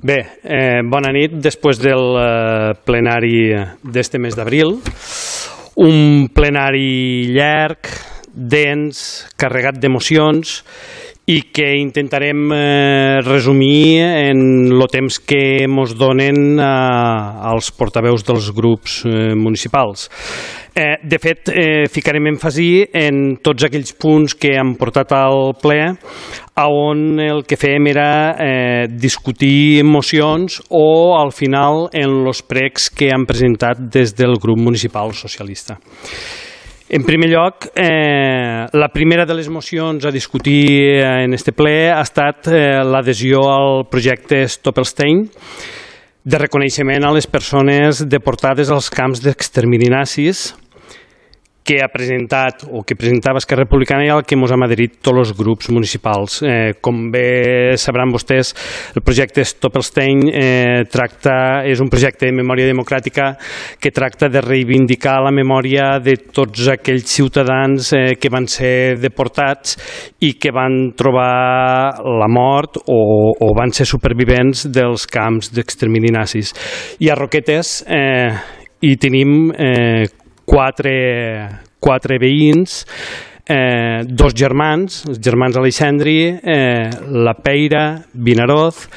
Bé, bona nit. Després del plenari d'este mes d'abril, un plenari llarg, dens, carregat d'emocions i que intentarem resumir en el temps que ens donen als portaveus dels grups municipals. De fet, ficarem èmfasi en tots aquells punts que hem portat al ple on el que fèiem era discutir mocions o, al final, en els pregs que han presentat des del grup municipal socialista. En primer lloc, la primera de les mocions a discutir en este ple ha estat l'adhesió al projecte Stoppelstein de reconeixement a les persones deportades als camps d'extermini nazis que ha presentat o que presentava Esquerra Republicana i al que ens hem adherit tots els grups municipals. Com bé sabran vostès, el projecte Stoppelstein és un projecte de memòria democràtica que tracta de reivindicar la memòria de tots aquells ciutadans que van ser deportats i que van trobar la mort o van ser supervivents dels camps d'extermini nazis. I a Roquetes hi tenim quatre veïns, dos germans, els germans Aleixandri, la Peira, Vinaroz,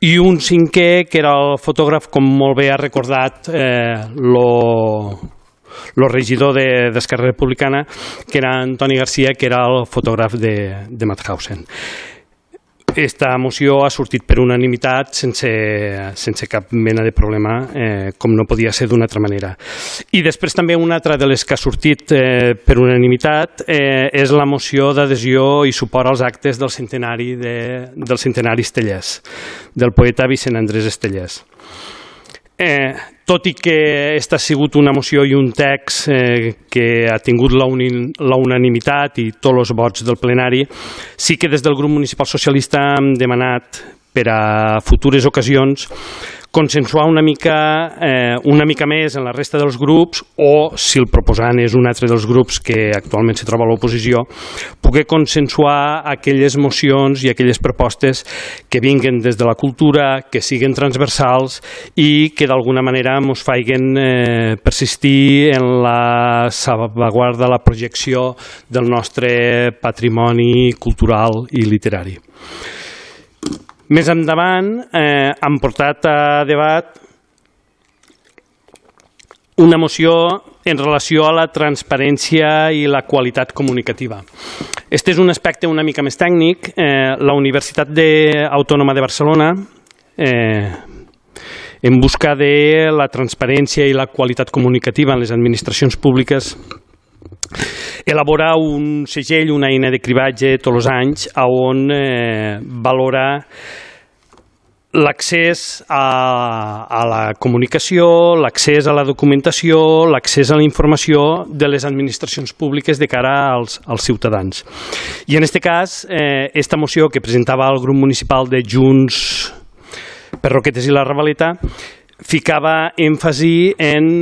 i un cinquè que era el fotògraf, com molt bé ha recordat el regidor d'Esquerra Republicana, que era Antoni Garcia, que era el fotògraf de Mauthausen. Esta moció ha sortit per unanimitat sense cap mena de problema, com no podia ser d'una altra manera. I després també una altra de les que ha sortit per unanimitat és la moció d'adhesió i suport als actes del centenari Estellés, del poeta Vicent Andrés Estellés. Tot i que aquesta ha sigut una moció i un text que ha tingut la unanimitat i tots els vots del plenari, sí que des del grup municipal socialista hem demanat per a futures ocasions consensuar una mica més en la resta dels grups o, si el proposant és un altre dels grups que actualment se troba a l'oposició, poder consensuar aquelles mocions i aquelles propostes que vinguen des de la cultura, que siguin transversals i que d'alguna manera ens facin persistir en la salvaguarda, la projecció del nostre patrimoni cultural i literari. Més endavant hem portat a debat una moció en relació a la transparència i la qualitat comunicativa. Este és un aspecte una mica més tècnic. La Universitat Autònoma de Barcelona, en busca de la transparència i la qualitat comunicativa en les administracions públiques, elabora un segell, una eina de cribatge tots els anys on valora l'accés a la comunicació, l'accés a la documentació, l'accés a la informació de les administracions públiques de cara als ciutadans. I en aquest cas, aquesta moció que presentava el grup municipal de Junts per Roquetes i la Ravaleta ficava èmfasi en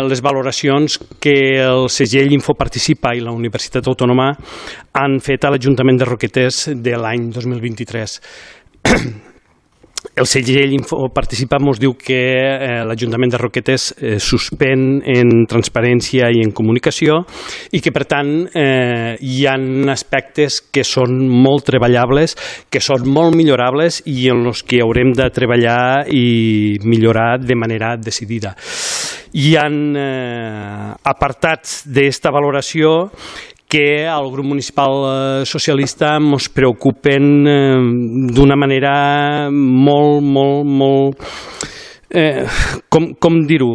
les valoracions que el segell Infoparticipa i la Universitat Autònoma han fet a l'Ajuntament de Roquetes de l'any 2023. El segell Infoparticipa ens diu que l'Ajuntament de Roquetes suspèn en transparència i en comunicació i que, per tant, hi ha aspectes que són molt treballables, que són molt millorables i en els que haurem de treballar i millorar de manera decidida. Hi ha apartats d'esta valoració que al grup municipal socialista ens preocupen d'una manera molt... Com dir-ho?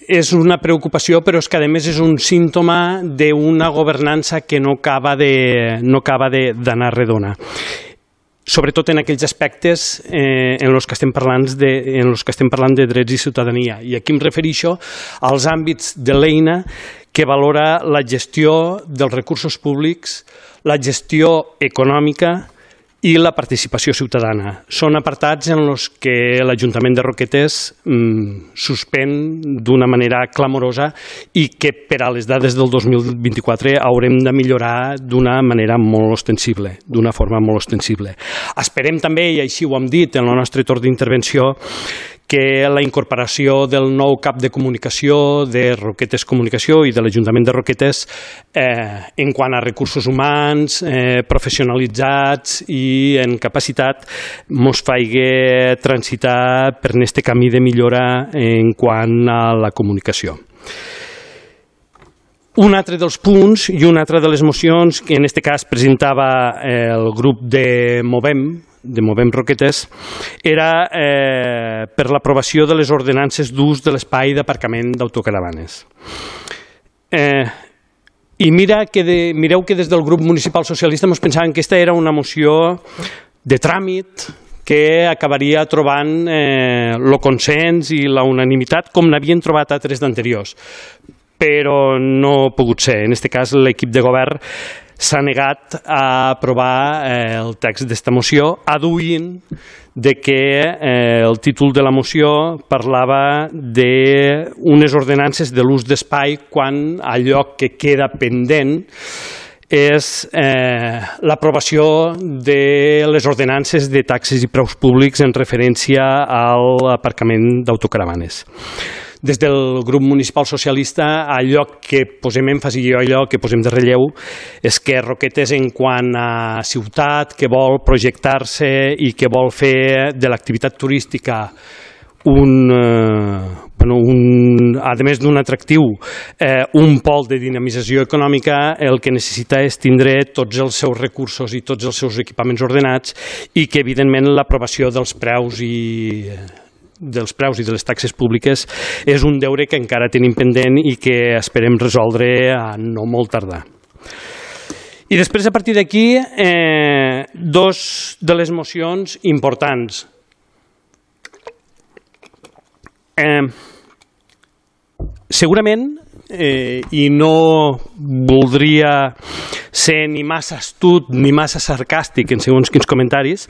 És una preocupació, però és que a més és un símptoma d'una governança que no acaba d'anar redona. Sobretot en aquells aspectes en els que estem parlant de drets i ciutadania. I aquí em refereixo als àmbits de l'eina que valora la gestió dels recursos públics, la gestió econòmica i la participació ciutadana. Són apartats en els que l'Ajuntament de Roquetes suspèn d'una manera clamorosa i que per a les dades del 2024 haurem de millorar d'una manera molt ostensible, d'una forma molt ostensible. Esperem també, i així ho hem dit en el nostre torn d'intervenció, que la incorporació del nou cap de comunicació de Roquetes Comunicació i de l'Ajuntament de Roquetes en quant a recursos humans, professionalitzats i en capacitat mos faci transitar per aquest camí de millora en quant a la comunicació. Un altre dels punts i una altra de les mocions que en aquest cas presentava el grup de Movem Roquetes, era per l'aprovació de les ordenances d'ús de l'espai d'aparcament d'autocaravanes. I mireu que des del grup municipal socialista ens pensaven que aquesta era una moció de tràmit que acabaria trobant el consens i la unanimitat com n'havien trobat altres d'anteriors, però no ha pogut ser. En aquest cas l'equip de govern s'ha negat a aprovar el text d'esta moció, adduint que el títol de la moció parlava d'unes ordenances de l'ús d'espai quan allò que queda pendent és l'aprovació de les ordenances de taxes i preus públics en referència a l'aparcament d'autocaravanes. Des del grup municipal socialista, allò que posem èmfasi i allò que posem de relleu és que Roquetes, en quant a ciutat que vol projectar-se i que vol fer de l'activitat turística a més d'un atractiu, un pol de dinamització econòmica, el que necessita és tindre tots els seus recursos i tots els seus equipaments ordenats i que, evidentment, l'aprovació dels preus i de les taxes públiques és un deure que encara tenim pendent i que esperem resoldre a no molt tardar. I després, a partir d'aquí, dos de les mocions importants. Segurament, i no voldria ser ni massa astut ni massa sarcàstic en segons quins comentaris,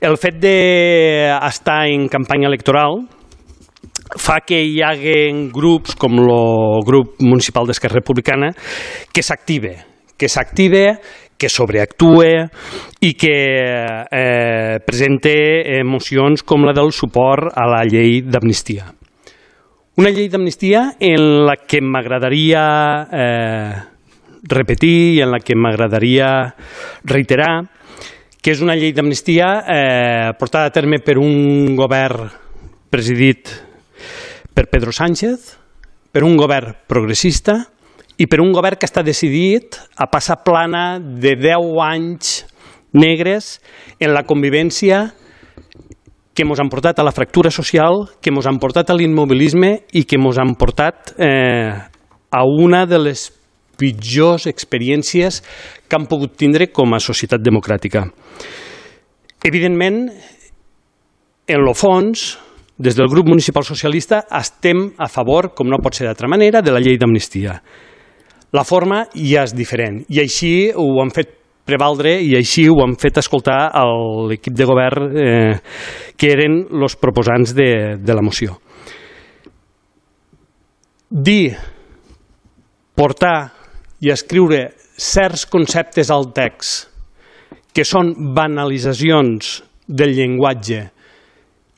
el fet d'estar en campanya electoral fa que hi hagi grups com el grup municipal d'Esquerra Republicana que s'active, que sobreactue i que presente mocions com la del suport a la llei d'amnistia. Una llei d'amnistia en la que m'agradaria repetir i en la que m'agradaria reiterar que és una llei d'amnistia portada a terme per un govern presidit per Pedro Sánchez, per un govern progressista i per un govern que està decidit a passar plana de 10 anys negres en la convivència que ens han portat a la fractura social, que ens han portat a l'immobilisme i que ens han portat a una de les pitjors experiències que han pogut tindre com a societat democràtica. Evidentment, en el fons, des del grup municipal socialista estem a favor, com no pot ser d'altra manera, de la llei d'amnistia. La forma ja és diferent i així ho han fet prevaldre i així ho han fet escoltar a l'equip de govern que eren els proposants de la moció. Portar i escriure certs conceptes al text que són banalitzacions del llenguatge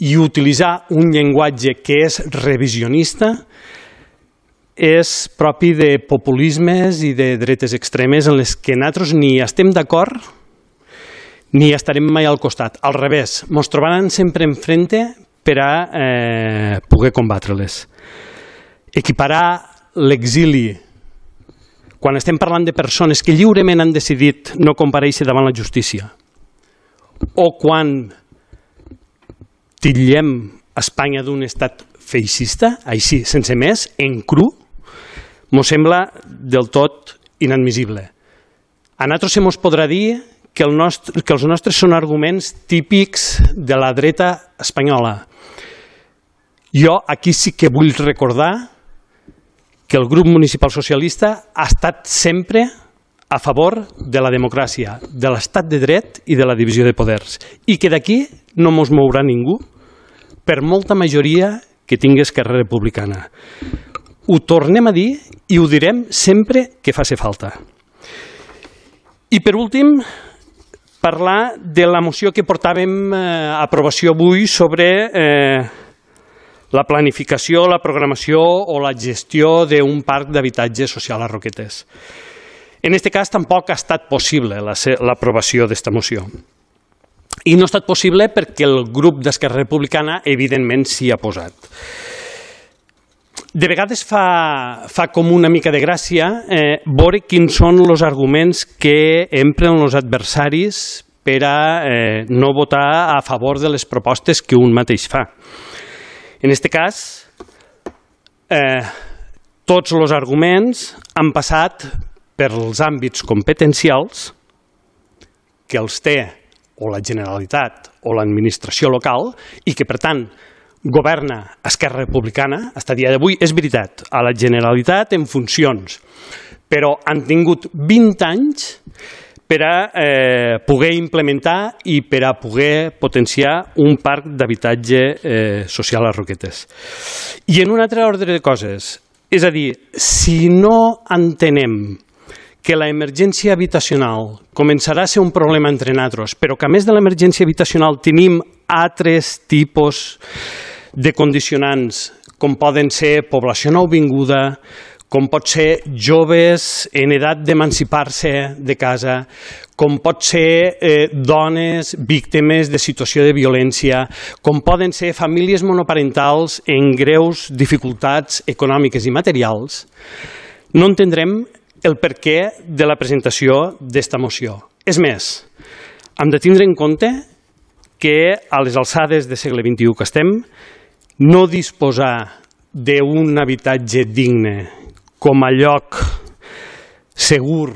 i utilitzar un llenguatge que és revisionista és propi de populismes i de dretes extremes en les que nosaltres ni estem d'acord ni estarem mai al costat. Al revés, ens trobaran sempre enfrente per a poder combatre-les. Equiparar l'exili, quan estem parlant de persones que lliurement han decidit no comparèixer davant la justícia, o quan titllem Espanya d'un estat feixista, així, sense més, en cru, ens sembla del tot inadmissible. A nosaltres se mos podrà dir que els nostres són arguments típics de la dreta espanyola. Jo aquí sí que vull recordar que el grup municipal socialista ha estat sempre a favor de la democràcia, de l'estat de dret i de la divisió de poders, i que d'aquí no mos mourà ningú per molta majoria que tingui Esquerra Republicana. Ho tornem a dir i ho direm sempre que faci falta. I per últim, parlar de la moció que portàvem a aprovació avui sobre la planificació, la programació o la gestió d'un parc d'habitatge social a Roquetes. En aquest cas tampoc ha estat possible l'aprovació d'esta moció. I no ha estat possible perquè el grup d'Esquerra Republicana evidentment s'hi ha posat. De vegades fa com una mica de gràcia veure quins són els arguments que empren els adversaris per a no votar a favor de les propostes que un mateix fa. En aquest cas, tots els arguments han passat per els àmbits competencials que els té o la Generalitat o l'administració local i que, per tant, governa Esquerra Republicana fins a dia d'avui. És veritat, a la Generalitat en funcions, però han tingut 20 anys per a poder implementar i per a poder potenciar un parc d'habitatge social a Roquetes. I en un altre ordre de coses, és a dir, si no entenem que l'emergència habitacional començarà a ser un problema entre nosaltres, però que a més de l'emergència habitacional tenim altres tipus de condicionants, com poden ser població nouvinguda, com pot ser joves en edat d'emancipar-se de casa, com pot ser dones víctimes de situació de violència, com poden ser famílies monoparentals en greus dificultats econòmiques i materials, no entendrem el perquè de la presentació d'esta moció. És més, hem de tindre en compte que a les alçades del segle XXI que estem, no disposar d'un habitatge digne com a lloc segur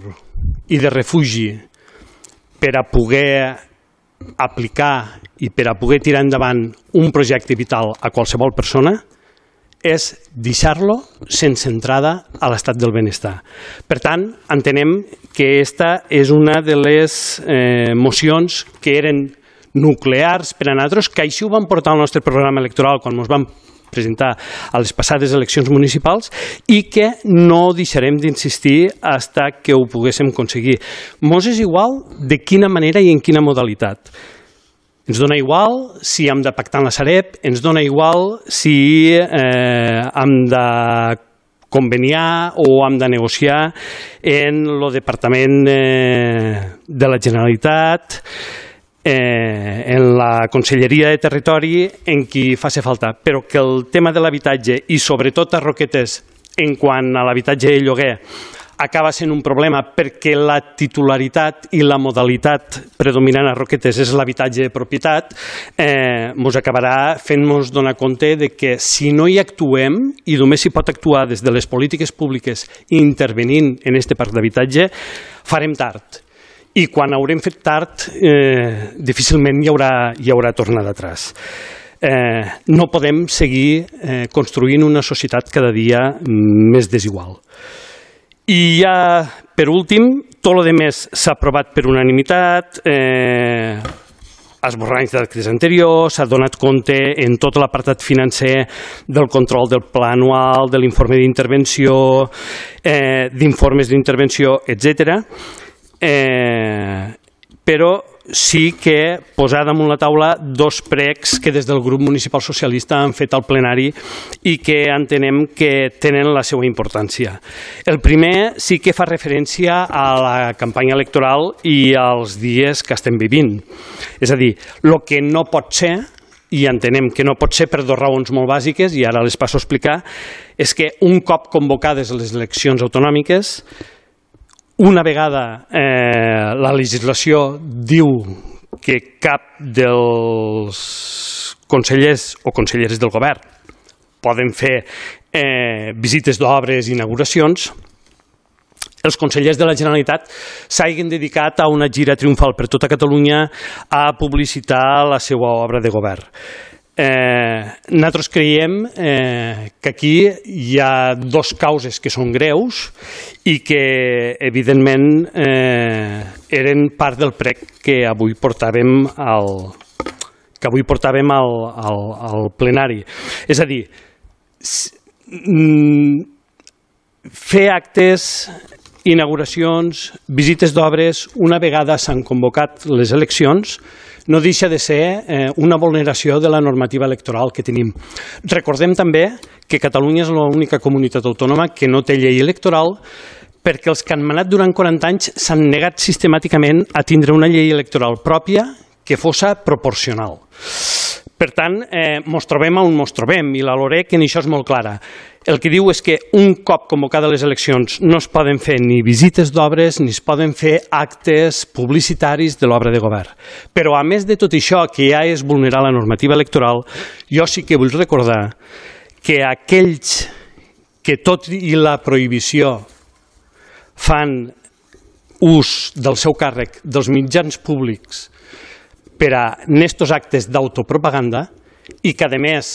i de refugi per a poder aplicar i per a poder tirar endavant un projecte vital a qualsevol persona és deixar-lo sense entrada a l'estat del benestar. Per tant, entenem que aquesta és una de les mocions que eren nuclears per a nosaltres, que així ho vam portar al nostre programa electoral quan ens vam presentar a les passades eleccions municipals i que no deixarem d'insistir fins que ho poguéssim aconseguir. Mos és igual de quina manera i en quina modalitat. Ens dona igual si hem de pactar en la Sareb, ens dona igual si hem de conveniar o hem de negociar en el Departament de la Generalitat, en la Conselleria de Territori, en qui faci falta, però que el tema de l'habitatge i sobretot a Roquetes en quant a l'habitatge de lloguer acaba sent un problema perquè la titularitat i la modalitat predominant a Roquetes és l'habitatge de propietat, ens acabarà fent-nos donar compte de que si no hi actuem, i només s'hi pot actuar des de les polítiques públiques intervenint en aquest parc d'habitatge, farem tard. I quan haurem fet tard, difícilment hi haurà tornada atràs. No podem seguir construint una societat cada dia més desigual. I ja, per últim, tot el més s'ha aprovat per unanimitat, esborranys d'actes anteriors, s'ha donat compte en tot l'apartat financer del control del pla anual, de l'informe d'intervenció, d'informes d'intervenció, etc. Però sí que posar damunt la taula dos pregs que des del grup municipal socialista han fet al plenari i que entenem que tenen la seva importància. El primer sí que fa referència a la campanya electoral i als dies que estem vivint. És a dir, el que no pot ser, i entenem que no pot ser per dues raons molt bàsiques, i ara les passo a explicar, és que un cop convocades les eleccions autonòmiques, una vegada la legislació diu que cap dels consellers o conselleres del govern poden fer visites d'obres i inauguracions, els consellers de la Generalitat s'hagin dedicat a una gira triomfal per tota Catalunya a publicitar la seva obra de govern. Nosaltres creiem que aquí hi ha dues causes que són greus i que, evidentment, eren part del prec que avui portàvem al plenari. És a dir, fer actes, inauguracions, visites d'obres, una vegada s'han convocat les eleccions, no deixa de ser una vulneració de la normativa electoral que tenim. Recordem també que Catalunya és l'única comunitat autònoma que no té llei electoral perquè els que han manat durant 40 anys s'han negat sistemàticament a tindre una llei electoral pròpia que fos proporcional. Per tant, mos trobem on mos trobem i la LOREC en això és molt clara. El que diu és que un cop convocades les eleccions no es poden fer ni visites d'obres ni es poden fer actes publicitaris de l'obra de govern. Però a més de tot això, que ja és vulnerar la normativa electoral, jo sí que vull recordar que aquells que tot i la prohibició fan ús del seu càrrec dels mitjans públics per a estos actes d'autopropaganda i que, a més,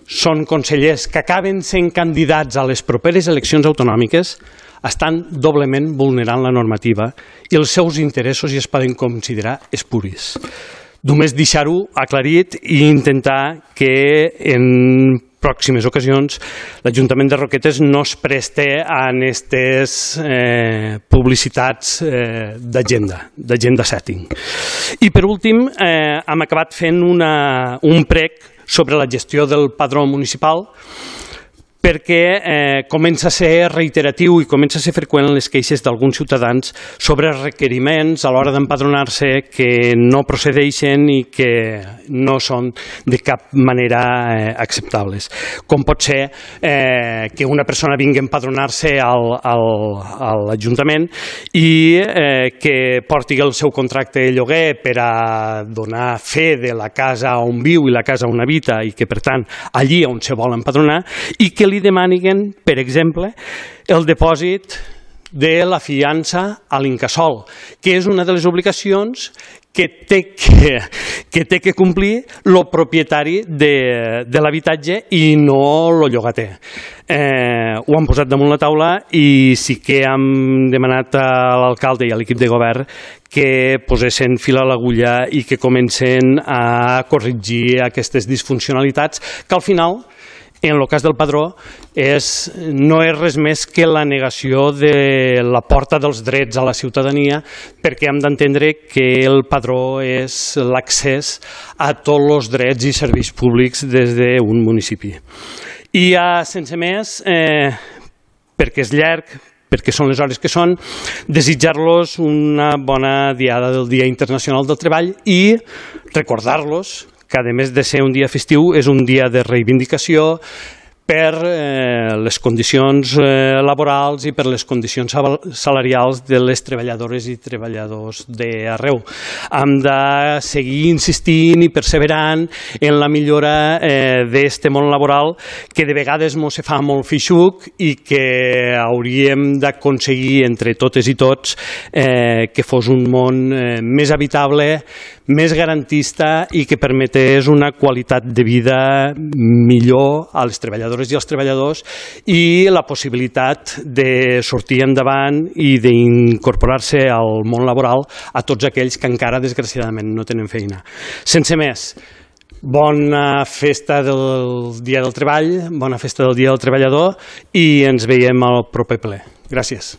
són consellers que acaben sent candidats a les properes eleccions autonòmiques, estan doblement vulnerant la normativa i els seus interessos ja es poden considerar espuris. Només deixar-ho aclarit i intentar que en pròximes ocasions l'Ajuntament de Roquetes no es preste a aquestes publicitats d'agenda setting. I per últim hem acabat fent un prec sobre la gestió del padró municipal perquè comença a ser reiteratiu i comença a ser freqüent les queixes d'alguns ciutadans sobre requeriments a l'hora d'empadronar-se que no procedeixen i que no són de cap manera acceptables. Com pot ser que una persona vingui a empadronar-se a l'Ajuntament i que porti el seu contracte de lloguer per a donar fe de la casa on viu i la casa on habita i que, per tant, allí on se vol empadronar i que li demanin, per exemple, el depòsit de la fiança a l'Incasòl, que és una de les obligacions que té que complir el propietari de l'habitatge i no el llogater. Ho han posat damunt la taula i sí que hem demanat a l'alcalde i a l'equip de govern que posessin fil a l'agulla i que comencen a corregir aquestes disfuncionalitats que al final, en el cas del padró, no és res més que la negació de la porta dels drets a la ciutadania perquè hem d'entendre que el padró és l'accés a tots els drets i serveis públics des d'un municipi. I sense més, perquè és llarg, perquè són les hores que són, desitjar-los una bona diada del Dia Internacional del Treball i recordar-los que, a més de ser un dia festiu, és un dia de reivindicació per les condicions laborals i per les condicions salarials de les treballadores i treballadors d'arreu. Hem de seguir insistint i perseverant en la millora d'aquest món laboral que de vegades ens fa molt feixuc i que hauríem d'aconseguir entre totes i tots que fos un món més habitable, més garantista i que permetés una qualitat de vida millor a les treballadores i als treballadors i la possibilitat de sortir endavant i d'incorporar-se al món laboral a tots aquells que encara, desgraciadament, no tenen feina. Sense més, bona festa del Dia del Treball, bona festa del Dia del Treballador i ens veiem al proper ple. Gràcies.